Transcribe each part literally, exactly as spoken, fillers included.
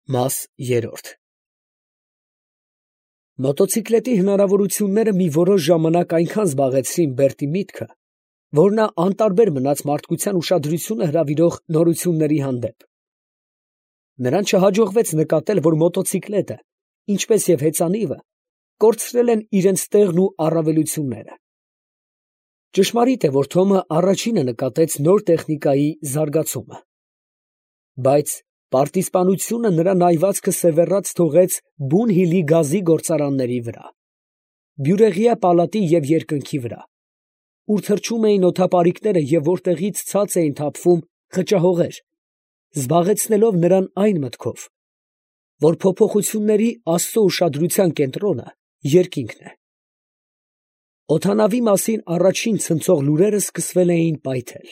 Մաս երրորդ Մոտոցիկլետի հնարավորությունները մի որոշ ժամանակ այնքան զբաղեցրին Բերտի միտքը, որ նա անտարբեր մնաց մարդկության ուշադրությունը հրավիրող նորությունների հանդեպ. նրան չհաջողվեց նկատել, որ մոտոցիկլետը, ինչպես և հեծանիվը, կորցրել են իրենց տեղն ու առավելությունները։ Ճշմարիտ է, որ Թոմը առաջինը նկատեց նոր տեխնիկայի զարգացումը, բայց պարտիզպանությունը նրա նայվածքը սևեռած թողեց բուն հիլի գազի գործարանների վրա, բյուրեղյա պալատի և երկնքի վրա, ուր թռչում էին օդապարիկները և որտեղից ցած էին թափվում խճահողեր, զբաղեցնելով նրան այն մտքով, որ փոփոխությունների Աստծո ուշադրության կենտրոնը երկինքն է։ Օդանավի մասին առաջին ցնցող լուրերը սկսվել էին պայթել։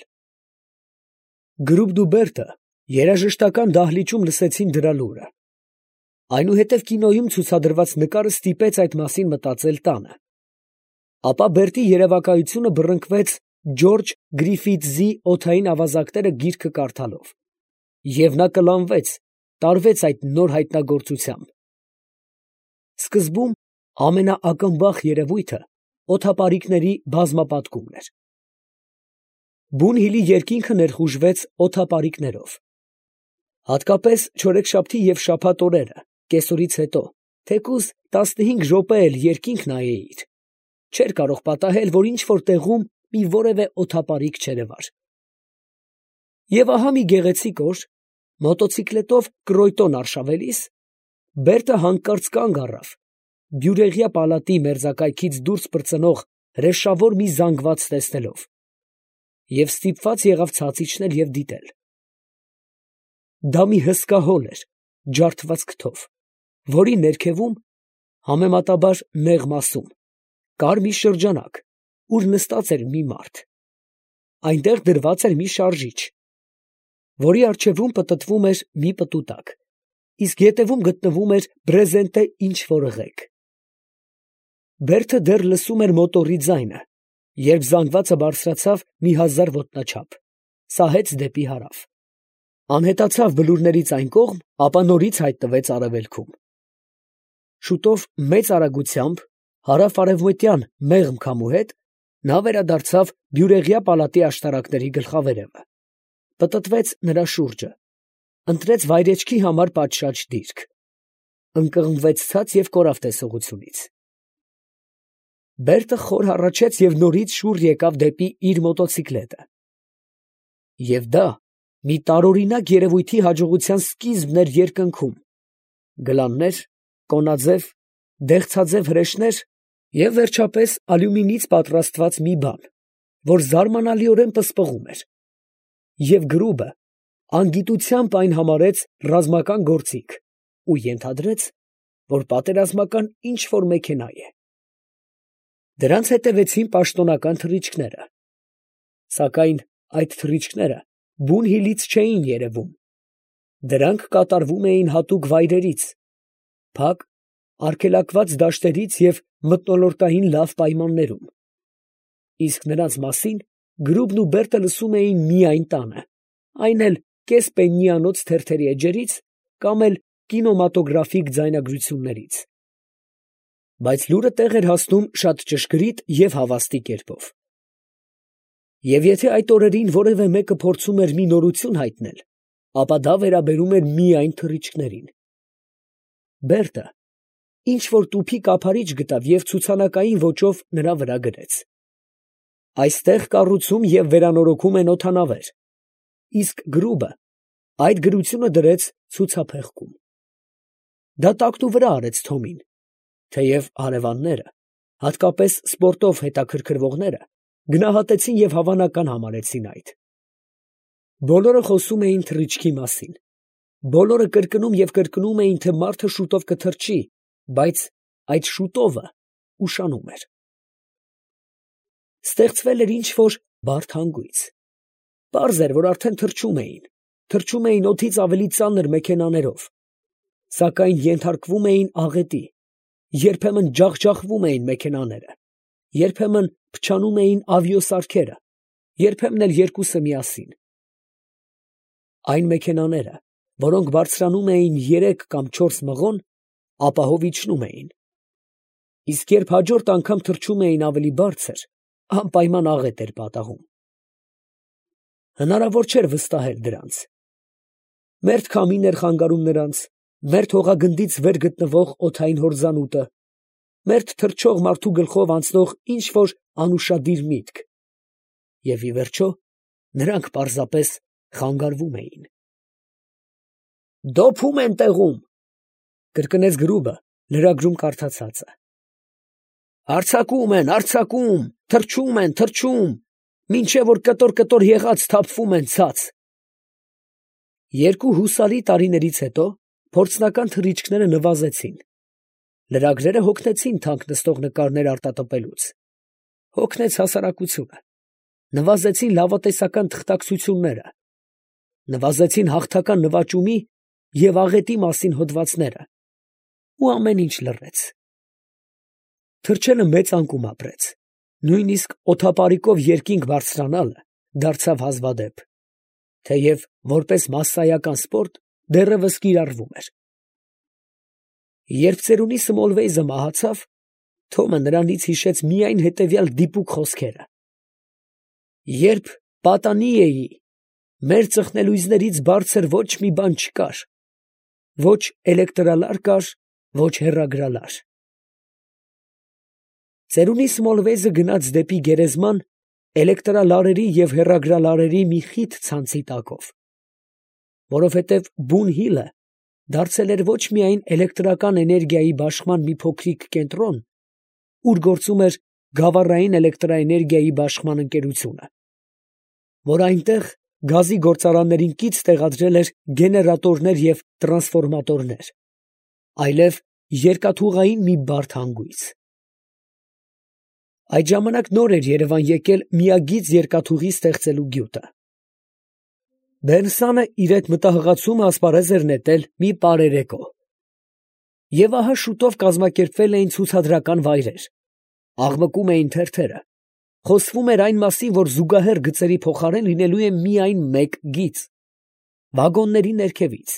Գրուբն ու Բերտը երաժշտական դահլիճում լսեցին դրա լուրը։ Այնուհետև կինոյում ցուցադրված նկարը ստիպեց այդ մասին մտածել տանը։ Ապա Բերտի երևակայությունը բռնկվեց Ջորջ Գրիֆիթզի օդային ավազակները գիրքը կարդալով, և նա կլանվեց, տարվեց այդ նոր հայտնագործությամբ։ Սկզբում ամենաակնբախ երևույթը օդապարիկների բազմապատկումն էր։ Բուն հիլի երկինքը ներխուժվեց օդապարիկներով։ Հատկապես չորեքշաբթի և շաբաթ օրերը, կեսօրից հետո, թեկուզ տասնհինգ րոպե էլ երկինք նայեիր, չէր կարող պատահել, որ ինչ֊որ տեղում մի որևէ օդապարիկ չերևար։ Եվ ահա մի գեղեցիկ օր, մոտոցիկլետով Կրոյտոն արշավելիս, Բերտը հանկարծ կանգ առավ, բյուրեղյա պալատի մերձակայքից դուրս պրծնող հրեշավոր մի զանգված տեսնելով, և ստիպված եղավ ցած իջնել և դիտել։ Դա մի հսկա հոլ էր, ջարդված քթով, որի ներքևում, համեմատաբար նեղ մասում, կար մի շրջանակ, ուր նստած էր մի մարդ. այնտեղ դրված էր մի շարժիչ, որի առջևում պտտվում էր մի պտուտակ, իսկ ետևում գտնվում էր բրեզենտե ինչ֊որ ղեկ։ Բերտը դեռ լսում էր մոտորի ձայնը, երբ զանգվածը բարձրացավ մի հազար ոտնաչափ, սահեց դեպի հարավ, անհետացավ բլուրներից այն կողմ, ապա նորից հայտնվեց արևելքում։ Շուտով մեծ արագությամբ, հարավ֊արևմտյան մեղմ քամու հետ, նա վերադարձավ բյուրեղյա պալատի աշտարակների գլխավերևը, պտտվեց նրա շուրջը, ընտրեց վայրէջքի համար պատշաճ դիրք, ընկղմվեց ցած և կորավ տեսողությունից։ Բերտը խոր հառաչեց և նորից շուռ եկավ դեպի իր մոտոցիկլետը։ Եվ դա մի տարօրինակ երևույթի հաջողության սկիզբն էր երկնքում. գլաններ, կոնաձև, դեղցաձև հրեշներ և, վերջապես, ալյումինից պատրաստված մի բան, որ զարմանալիորեն պսպղում էր, և Գրուբը անգիտությամբ այն համարեց ռազմական գործիք ու ենթադրեց, որ պատերազմական ինչ֊որ մեքենա է։ Դրանց հետևեցին պաշտոնական թռիչքները, սակայն այդ թռիչքները բուն հիլից չէին երևում, դրանք կատարվում էին հատուկ վայրերից, փակ, արգելակված դաշտերից և մթնոլորտային լավ պայմաններում, իսկ նրանց մասին Գրուբն ու Բերտը լսում էին միայն տանը, այն էլ կես֊պեննիանոց թերթերի էջերից կամ էլ կինեմատոգրաֆիկ ձայնագրություններից։ Բայց լուրը տեղ էր հասնում շատ ճշգրիտ և հավաստի կերպով։ Եվ եթե այդ օրերին որևէ մեկը փորձում էր մի նորություն հայտնել, ապա դա վերաբերում էր միայն թռիչքներին։ Բերտը ինչ֊որ տուփի կափարիչ գտավ և ցուցանակային ոճով նրա վրա գրեց. «Այստեղ կառուցում և վերանորոգում են օդանավեր», իսկ Գրուբը այդ գրությունը դրեց ցուցափեղկում։ Դա տակնուվրա արեց Թոմին, թեև հարևանները, հատկապես սպորտով հետաքրքրվողները, գնահատեցին և հավանական համարեցին այդ։ Բոլորը խոսում էին թռիչքի մասին, բոլորը կրկնում և կրկնում էին, թե մարդը շուտով կթռչի, բայց այդ շուտովը ուշանում էր։ Ստեղծվել էր ինչ֊որ բարդ հանգույց։ Պարզ էր, որ արդեն թռչում էին, թռչում էին օդից ավելի ծանր մեքենաներով, սակայն ենթարկվում էին աղետի, երբեմն ջախջախվում էին մեքենաները, երբեմն փչանում էին ավիոսարքերը, երբեմն էլ երկուսը միասին։ Այն մեքենաները, որոնք բարձրանում էին երեք կամ չորս մղոն, ապահով իջնում էին, իսկ երբ հաջորդ անգամ թռչում էին ավելի բարձր, անպայման աղետ էր պատահում։ Հնարավոր չէր վստահել դրանց։ Մերթ քամին էր խանգարում նրանց, մերթ հողագնդից վեր գտնվող օդային հորձանուտը, մերթ թռչող մարդու գլխով անցնող ինչ֊որ անուշադիր միտք, և ի վերջո նրանք պարզապես խանգարվում էին։ «Դոփում են տեղում», կրկնեց գրուբը լրագրում կարդացածը։ «Արձակում են, արձակում, թռչում են, թռչում, մինչև որ կտոր֊կտոր եղած թափվում են ցած»։ Երկու հուսալի տարիներից հետո փորձնական թռիչքները նվազեցին, լրագրերը հոգնեցին թանկ նստող նկարներ արտատպելուց, հոգնեց հասարակությունը, նվազեցին լավատեսական թղթակցությունները, նվազեցին հաղթական նվաճումի և աղետի մասին հոդվածները, ու ամեն ինչ լռեց։ Թռչելը մեծ անկում ապրեց, նույնիսկ օդապարիկով երկինք բարձրանալը դարձավ հազվադեպ, թեև որպես մասսայական սպորտ դեռևս կիրառվում էր։ Երբ ծերունի Սմոլվեյզը մահացավ, Թոմը նրանից հիշեց միայն հետևյալ դիպուկ խոսքերը. «Երբ պատանի էի, մեր ծխնելույզներից բարձր ոչ մի բան չկար, ոչ էլեկտրալար կար, ոչ հեռագրալար»։ Ծերունի Սմոլվեյզը գնաց դեպի գերեզման էլեկտրալարերի և հեռագրալարերի մի խիտ ցանցի տակով, որովհետև Բուն Հիլը դարձել էր ոչ միայն էլեկտրական էներգիայի բաշխման մի փոքրիկ կենտրոն, ուր գործում էր Գավառային էլեկտրաէներգիայի բաշխման ընկերությունը, որ այնտեղ գազի գործարաններին կից տեղադրել էր գեներատորներ և տրանսֆորմատորներ, այլև երկաթուղային մի բարդ հանգույց։ Այդ ժամանակ նոր էր Երևան եկել միագիծ երկաթուղի ստեղծելու գյուտը։ Բերնսանը իր այդ մտահղացումը ասպարեզ էր նետել մի պարերեկո։ Եվ ահա շուտով կազմակերպվել էին ցուցադրական վայրեր, աղմկում էին թերթերը, խոսվում էր այն մասին, որ զուգահեռ գծերի փոխարեն լինելու է միայն մեկ գիծ, վագոնների ներքևից,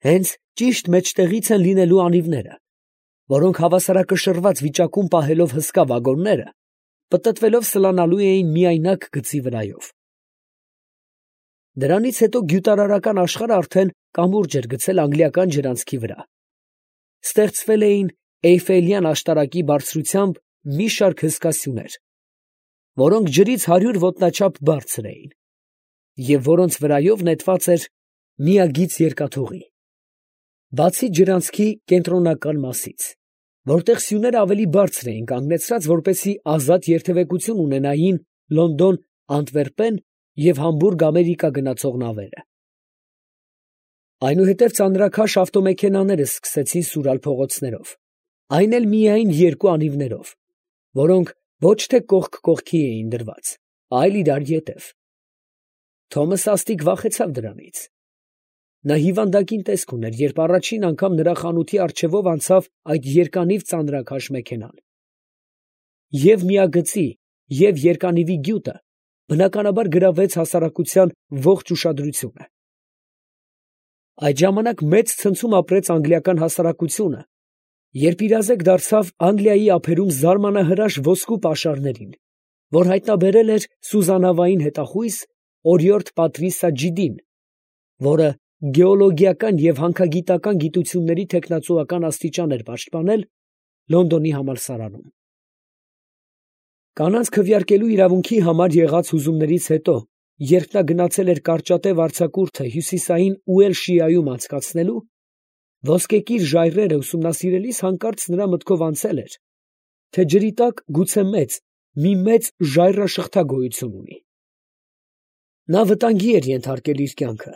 հենց ճիշտ մեջտեղից են լինելու անիվները, որոնք հավասարակշռված վիճակում պահելով հսկա վագոնները, պտտվելով սլանալու էին միայնակ գծի վրայով։ Դրանից հետո գյուտարարական աշխարհը արդեն կամուրջ էր գցել անգլիական ջրանցքի վրա։ Ստեղծվել էին Էյֆելյան աշտարակի բարձրությամբ մի շարք հսկա սյուներ, որոնք ջրից հարյուր ոտնաչափ բարձր էին, և որոնց վրայով նետված էր միագիծ երկաթուղի, բացի ջրանցքի կենտրոնական մասից, որտեղ սյուները ավելի բարձր էին կանգնեցրած, որպեսզի ազատ երթևեկություն ունենային Լոնդոն, Անտվերպեն և Համբուրգ Ամերիկա գնացող նավերը։ Այնուհետև ծանրաքաշ ավտոմեքենաները սկսեցին սուրալ փողոցներով, այն էլ միայն երկու անիվներով, որոնք ոչ թե կողք կողքի էին դրված, այլ իրար ետև։ Թոմը սաստիկ վախեցավ դրանից։ Նա հիվանդագին տեսք ուներ, երբ առաջին անգամ նրա խանութի առջևով անցավ այդ երկանիվ ծանրաքաշ մեքենան։ Եվ միագծի, և երկանիվի գյուտը բնականաբար գրավեց հասարակության ողջ ուշադրությունը։ Այդ ժամանակ մեծ ցնցում ապրեց անգլիական հասարակությունը, երբ իրազեկ դարձավ Անգլիայի ափերում զարմանահրաշ ոսկու պաշարներին, որ հայտնաբերել էր սուզանավային հետախույզ օրիորդ Պատրիսա Ջիդին, որը գեոլոգիական և հանքագիտական գիտությունների թեկնածուական աստիճան էր պաշտպանել Լոնդոնի համալսարանում։ Կանանց քվեարկելու իրավունքի համար եղած հուզումներից հետո, երբ նա գնացել էր կարճատև արձակուրդը հյուսիսային Ուելշիայում անցկացնելու, ոսկեկիր ժայռերը ուսումնասիրելիս հանկարծ նրա մտքով անցել էր, թե ջրի տակ գուցե մեծ, մի մեծ ժայռաշղթա գոյություն ունի։ Նա վտանգի էր ենթարկել իր կյանքը,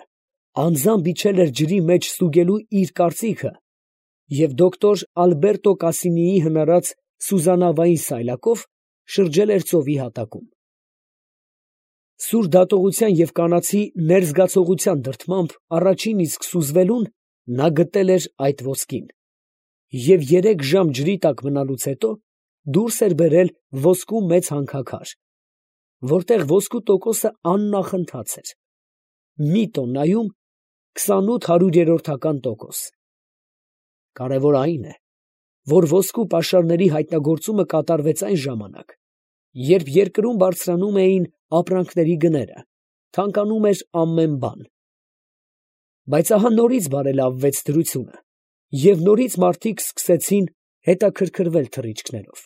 անձամբ իջել էր ջրի մեջ ստուգելու իր կարծիքը և դոկտոր Ալբերտո Կասինիի հնարած սուզանավային սայլակով շրջել էր ծովի հատակում։ Սուր դատողության և կանացի ներզգացողության դրդմամբ առաջին իսկ սուզվելուն նա գտել էր այդ ոսկին և երեք ժամ ջրի տակ մնալուց հետո դուրս էր բերել ոսկու մեծ հանքաքար, որտեղ ոսկու տոկոսը աննախընթաց էր, մի տոննայում քսանութ հարյուրերորդական տոկոս։ Կարևոր այն է, որ ոսկու պաշարների հայտնագործումը կատարվեց այն ժամանակ, երբ երկրում բարձրանում էին ապրանքների գները, թանկանում էր ամեն բան։ Բայց ահա նորից բարելավվեց դրությունը, և նորից մարդիկ սկսեցին հետաքրքրվել թռիչքներով։